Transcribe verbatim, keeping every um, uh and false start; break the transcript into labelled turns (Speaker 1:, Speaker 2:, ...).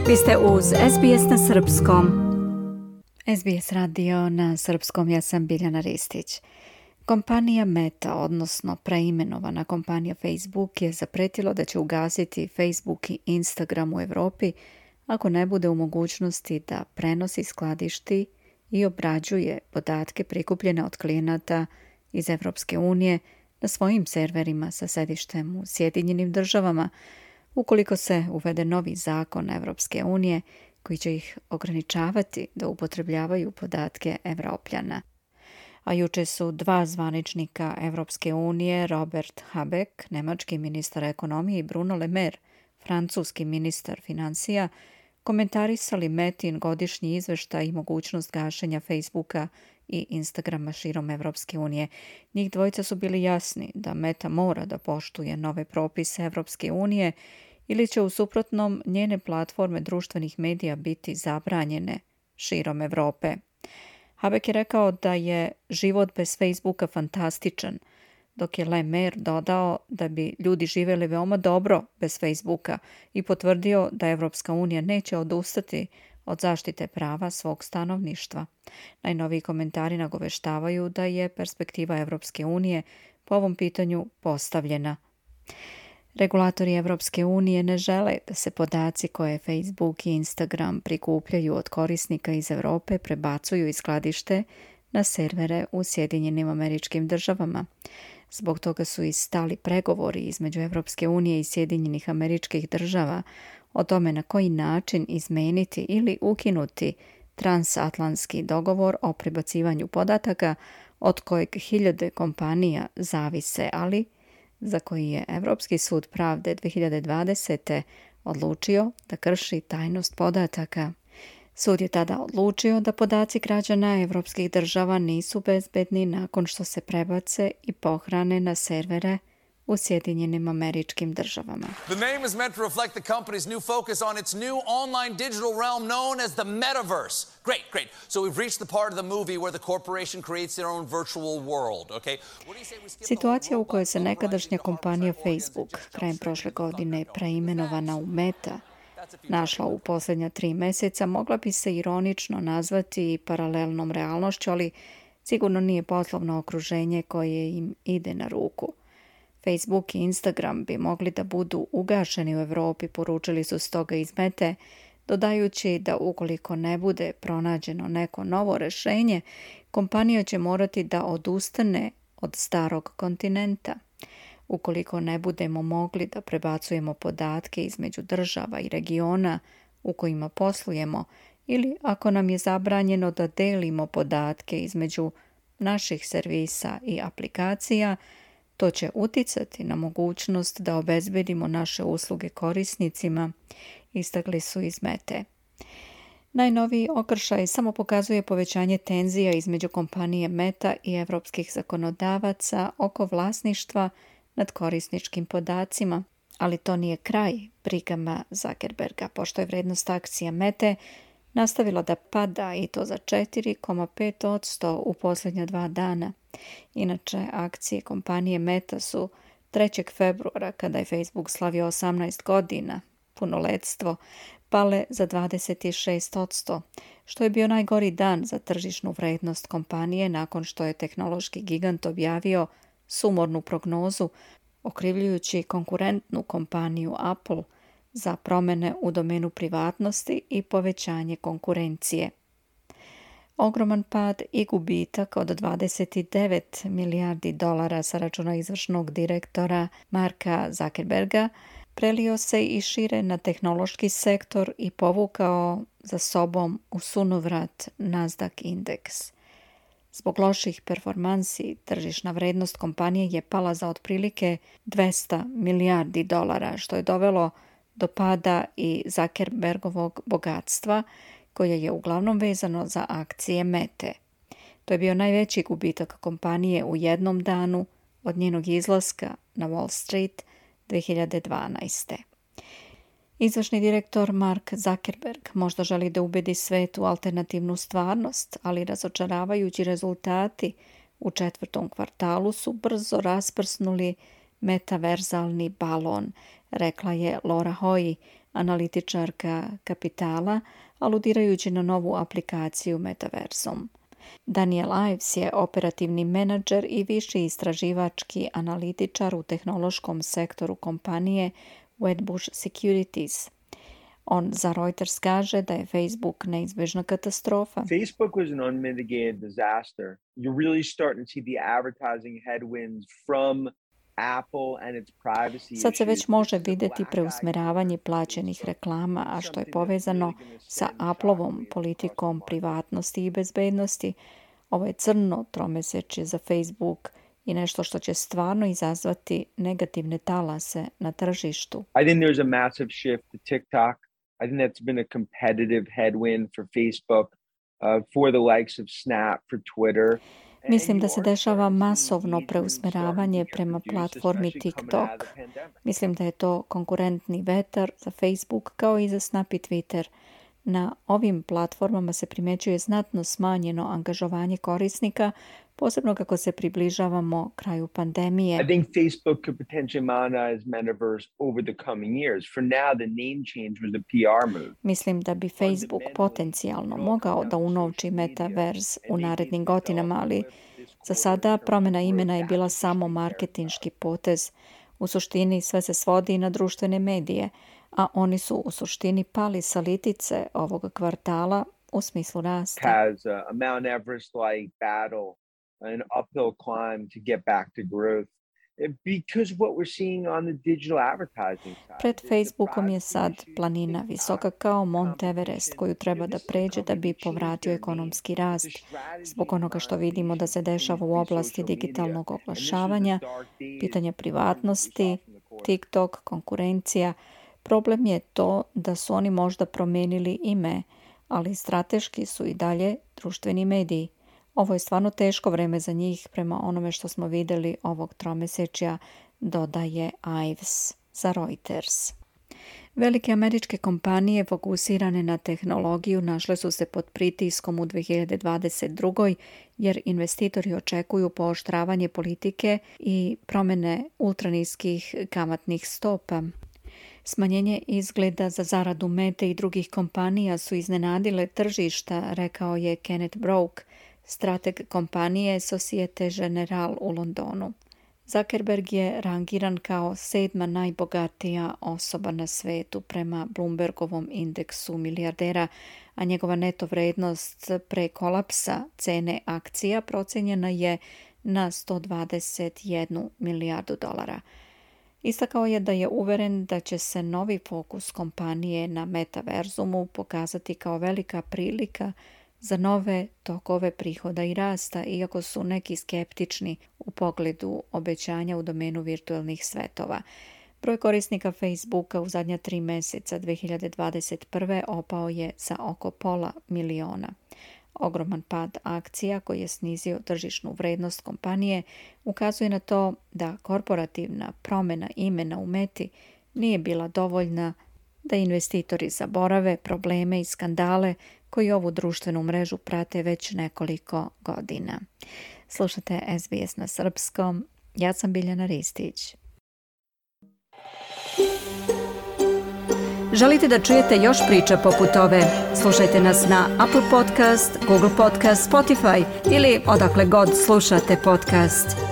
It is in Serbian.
Speaker 1: Vi ste uz S B S na srpskom. S B S radio na srpskom, ja sam Biljana Ristić. Kompanija Meta, odnosno preimenovana kompanija Facebook, je zapretilo da će ugasiti Facebook i Instagram u Evropi ako ne bude u mogućnosti da prenosi, skladišti i obrađuje podatke prikupljene od klijenata iz Evropske unije na svojim serverima sa sedištem u Sjedinjenim državama, ukoliko se uvede novi zakon Evropske unije koji će ih ograničavati da upotrebljavaju podatke Evropljana. A juče su dva zvaničnika Evropske unije, Robert Habeck, nemački ministar ekonomije, i Bruno Le Maire, francuski ministar financija, komentarisali Metin godišnji izveštaj i mogućnost gašenja Facebooka i Instagrama širom Evropske unije. Njih dvojica su bili jasni da Meta mora da poštuje nove propise Evropske unije ili će u suprotnom njene platforme društvenih medija biti zabranjene širom Evrope. Habeck je rekao da je život bez Facebooka fantastičan, dok je Le Maire dodao da bi ljudi živjeli veoma dobro bez Facebooka i potvrdio da Evropska unija neće odustati od zaštite prava svog stanovništva. Najnoviji komentari nagoveštavaju da je perspektiva Evropske unije po ovom pitanju postavljena. Regulatori Evropske unije ne žele da se podaci koje Facebook i Instagram prikupljaju od korisnika iz Evrope prebacuju iz skladište na servere u Sjedinjenim Američkim Državama. Zbog toga su i stali pregovori između Evropske unije i Sjedinjenih Američkih Država o tome na koji način izmeniti ili ukinuti transatlantski dogovor o prebacivanju podataka od kojeg hiljade kompanija zavise, ali za koji je Evropski sud pravde dve hiljade dvadesete. odlučio da krši tajnost podataka. Sud je tada odlučio da podaci građana evropskih država nisu bezbedni nakon što se prebace i pohrane na servere u Sjedinjenim Američkim Državama.
Speaker 2: The name is meant to reflect the company's new focus on its new online digital realm known as the metaverse. Great, great. So we've reached the part of the movie where the corporation creates their own virtual world, okay? What do you say we skip
Speaker 1: Situacija u kojoj se nekadašnja kompanija Facebook krajem prošle godine preimenovana u Meta našla u posljednja tri mjeseca mogla bi se ironično nazvati paralelnom realnošću, ali sigurno nije poslovno okruženje koje im ide na ruku. Facebook i Instagram bi mogli da budu ugašeni u Evropi, poručili su stoga iz Mete, dodajući da ukoliko ne bude pronađeno neko novo rješenje, kompanija će morati da odustane od starog kontinenta. Ukoliko ne budemo mogli da prebacujemo podatke između država i regiona u kojima poslujemo, ili ako nam je zabranjeno da delimo podatke između naših servisa i aplikacija, to će uticati na mogućnost da obezbedimo naše usluge korisnicima, istakli su iz Mete. Najnoviji okršaj samo pokazuje povećanje tenzija između kompanije Meta i evropskih zakonodavaca oko vlasništva nad korisničkim podacima, ali to nije kraj brigama Zuckerberga, pošto je vrednost akcija Mete nastavila da pada i to za četiri zarez pet posto u posljednja dva dana. Inače, akcije kompanije Meta su trećeg februara, kada je Facebook slavio osamnaest godina, punoletstvo, pale za dvadeset šest posto, što je bio najgori dan za tržišnu vrednost kompanije nakon što je tehnološki gigant objavio sumornu prognozu, okrivljujući konkurentnu kompaniju Apple za promjene u domenu privatnosti i povećanje konkurencije. Ogroman pad i gubitak od dvadeset devet milijardi dolara sa računa izvršnog direktora Marka Zuckerberga prelio se i šire na tehnološki sektor i povukao za sobom u sunovrat Nasdaq indeks. Zbog loših performansi, tržišna vrednost kompanije je pala za otprilike dvesta milijardi dolara, što je dovelo do pada i Zuckerbergovog bogatstva, koje je uglavnom vezano za akcije Mete. To je bio najveći gubitak kompanije u jednom danu od njenog izlaska na Wall Street dve hiljade dvanaeste. Izvršni direktor Mark Zuckerberg možda želi da ubedi svet u alternativnu stvarnost, ali razočaravajući rezultati u četvrtom kvartalu su brzo rasprsnuli metaverzalni balon, rekla je Laura Hoy, analitičarka Kapitala, aludirajući na novu aplikaciju Metaversum. Daniel Ives je operativni menadžer i viši istraživački analitičar u tehnološkom sektoru kompanije Wedbush Securities. On za Reuters kaže da je Facebook neizbežna katastrofa.
Speaker 3: Facebook was an unmitigated disaster. You're really starting to see the advertising headwinds from Apple and its privacy.
Speaker 1: Sad se već može vidjeti preusmeravanje plaćenih reklama, a što je povezano sa Appleovom politikom privatnosti i bezbednosti. Ovo je crno tromesečje za Facebook i nešto što će stvarno izazvati negativne talase na tržištu.
Speaker 3: I think there's a massive shift to TikTok. I think that's been a competitive headwind for Facebook, uh, for the likes of Snap, for Twitter.
Speaker 1: Mislim da se dešava masovno preusmeravanje prema platformi TikTok. Mislim da je to konkurentni vetar za Facebook kao i za Snap i Twitter. Na ovim platformama se primjećuje znatno smanjeno angažovanje korisnika, posebno kako se približavamo kraju pandemije.
Speaker 3: I think Facebook could potentially monetize metaverse over the coming years. For now, the name change was a P R move.
Speaker 1: Mislim da bi Facebook potencijalno mogao da unovči Metaverse u narednim godinama, ali za sada promjena imena je bila samo marketinški potez. U suštini sve se svodi na društvene medije, a oni su u suštini pali sa litice ovog kvartala u smislu rasta.
Speaker 3: Has a Mount Everest-like battle, an uphill climb to get back to growth. Because what we're seeing on the digital advertising side.
Speaker 1: Pred Facebookom je sad planina visoka kao Mount Everest koju treba da pređe da bi povratio ekonomski rast. Zbog onoga što vidimo da se dešava u oblasti digitalnog oglašavanja, pitanja privatnosti, TikTok, konkurencija. Problem je to da su oni možda promijenili ime, ali strateški su i dalje društveni mediji. Ovo je stvarno teško vreme za njih prema onome što smo vidjeli ovog tromesečja, dodaje Ives za Reuters. Velike američke kompanije fokusirane na tehnologiju našle su se pod pritiskom u dvije hiljade dvadeset druge. jer investitori očekuju pooštravanje politike i promjene ultraniskih kamatnih stopa. Smanjenje izgleda za zaradu Mete i drugih kompanija su iznenadile tržišta, rekao je Kenneth Brock, strateg kompanije Societe Generale u Londonu. Zuckerberg je rangiran kao sedma najbogatija osoba na svetu prema Bloombergovom indeksu milijardera, a njegova neto vrednost pre kolapsa cene akcija procenjena je na sto dvadeset jednu milijardu dolara. Istakao je da je uveren da će se novi fokus kompanije na metaverzumu pokazati kao velika prilika za nove tokove prihoda i rasta, iako su neki skeptični u pogledu obećanja u domenu virtualnih svetova. Broj korisnika Facebooka u zadnja tri mjeseca dvije hiljade dvadeset prve opao je za oko pola miliona. Ogroman pad akcija koji je snizio tržišnu vrednost kompanije ukazuje na to da korporativna promjena imena u Meti nije bila dovoljna da investitori zaborave probleme i skandale koji ovu društvenu mrežu prate već nekoliko godina. Slušate S B S na srpskom. Ja sam Biljana Ristić. Želite da čujete još priča poput ove? Slušajte nas na Apple Podcast, Google Podcast, Spotify ili odakle god slušate podcast.